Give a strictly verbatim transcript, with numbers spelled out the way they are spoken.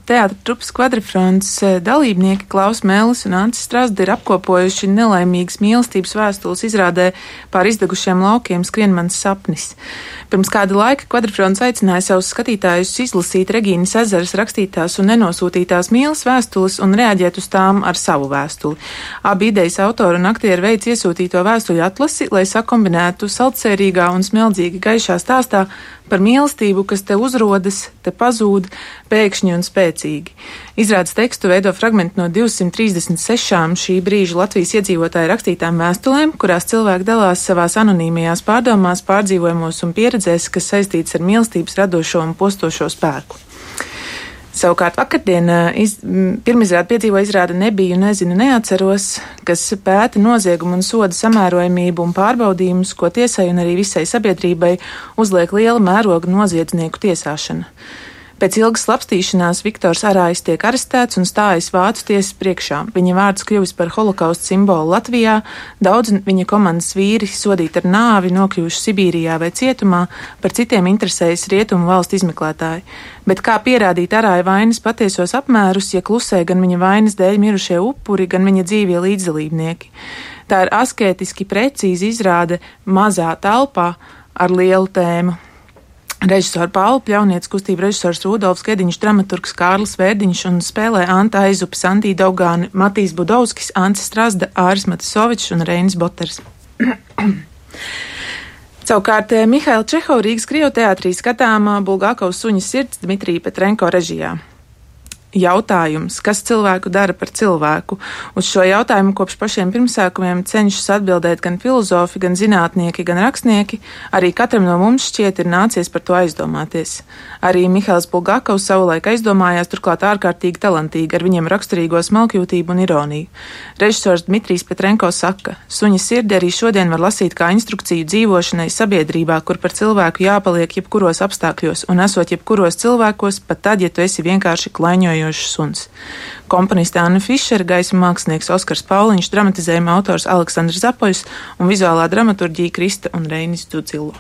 teātra trupas Kvadrifronts dalībnieki Klaus Mēlis un Ancis Strazda ir apkopojuši nelaimīgas mīlestības vēstules izrādē pār izdegušiem laukiem Skrien mans sapnis. Pirms kāda laika Kvadrifronts aicināja savus skatītājus izlasīt Regīnas Ezeras rakstītās un nenosūtītās mīlas vēstules un reaģēt uz tām ar savu vēstuli. Abi idejas autori un aktieri veic iesūtīto vēstuļu atlasi, lai sakombinētu saldsērīgā un smeldzīga gaišā stāstā par mīlestību, kas te uzrodas, te pazūd, pēkšņi un spēcīgi. Izrādes tekstu veido fragmenti no divsimt trīsdesmit sešām šī brīža Latvijas iedzīvotāju rakstītām vēstulēm, kurās cilvēki dalās savās anonīmajās pārdomās, pārdzīvojumos un pieredzēs, kas saistīts ar mīlestības radošo un postošo spēku. Savukārt vakardien iz, pirmizrādi piedzīvo izrāda Nebiju, nezinu, neatceros, kas pēta noziegumu un soda samērojamību un pārbaudījumus, ko tiesai un arī visai sabiedrībai uzliek liela mēroga noziedznieku tiesāšana. Pēc ilgas slapstīšanās Viktors Arājs tiek arestēts un stājas Vācu tiesas priekšā. Viņa vārds kļuvis par holokausta simbolu Latvijā, daudz viņa komandas vīri sodīti ar nāvi, nokļuvuši Sibīrijā vai cietumā, par citiem interesējas rietumu valstu izmeklētāji. Bet kā pierādīt Arāja vainas patiesos apmērus, ja klusē gan viņa vainas dēļ mirušie upuri, gan viņa dzīvie līdzdalībnieki? Tā ir askētiski precīzi izrāde mazā telpā ar lielu tēmu. Režisora Paula Pļaunietes, kustība režisors Rudolfs Gediņš, dramaturgs Kārlis Vērdiņš un spēlē Anta Aizupe, Sandija Daugāne, Matīs Budovskis, Ancis Strazda, Āris Matisovičs un Reinis Boters. Savukārt Mihaila Čehova Rīgas Krievu teātrī skatāmā Bulgakovas suņa sirds Dmitrija Petrenko režijā. Jautājums, kas cilvēku dara par cilvēku? Uz šo jautājumu kopš pašiem pirmsākumiem cenšas atbildēt gan filozofi, gan zinātnieki, gan rakstnieki. Arī katram no mums šķiet ir nācies par to aizdomāties. Arī Mihails Bulgakovs savulaik aizdomājās, turklāt ārkārtīgi talantīgi, ar viņiem raksturīgo smalkjūtību un ironiju. Režisors Dmitrijs Petrenko saka, suņa sirdi arī šodien var lasīt kā instrukciju dzīvošanai sabiedrībā, kur par cilvēku jāpaliek jebkuros apstākļos un esot jebkuros cilvēkos, pat tad, ja tu esi vienkārši klaiņojot suns. Komponiste Anna Fišera, gaisma mākslinieks Oskars Pauliņš, dramatizējuma autors Aleksandrs Zapoļs un vizuālā dramaturģija Krista un Reinis Dzudzilo.